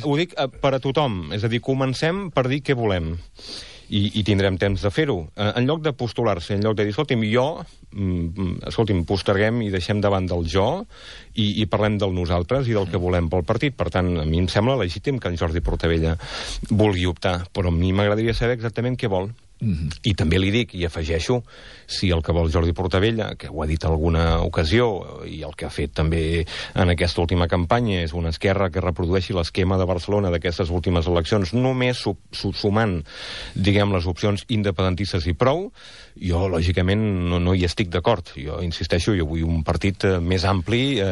Ho dic per a tothom, és a dir, comencem per dir què volem. I tindrem temps de fer-ho. En lloc de postular-se, en lloc de dir, escolti'm, posterguem i deixem davant del jo i parlem del nosaltres i del que volem pel partit. Per tant, a mi em sembla legítim que en Jordi Portabella vulgui optar, però a mi m'agradaria saber exactament què vol. I també li dic, i afegeixo, si el que vol Jordi Portabella, que ho ha dit en alguna ocasió, i el que ha fet també en aquesta última campanya, és una esquerra que reprodueixi l'esquema de Barcelona d'aquestes últimes eleccions, només sumant, diguem, les opcions independentistes i prou, jo, lògicament, no hi estic d'acord. Jo insisteixo, jo vull un partit més ampli,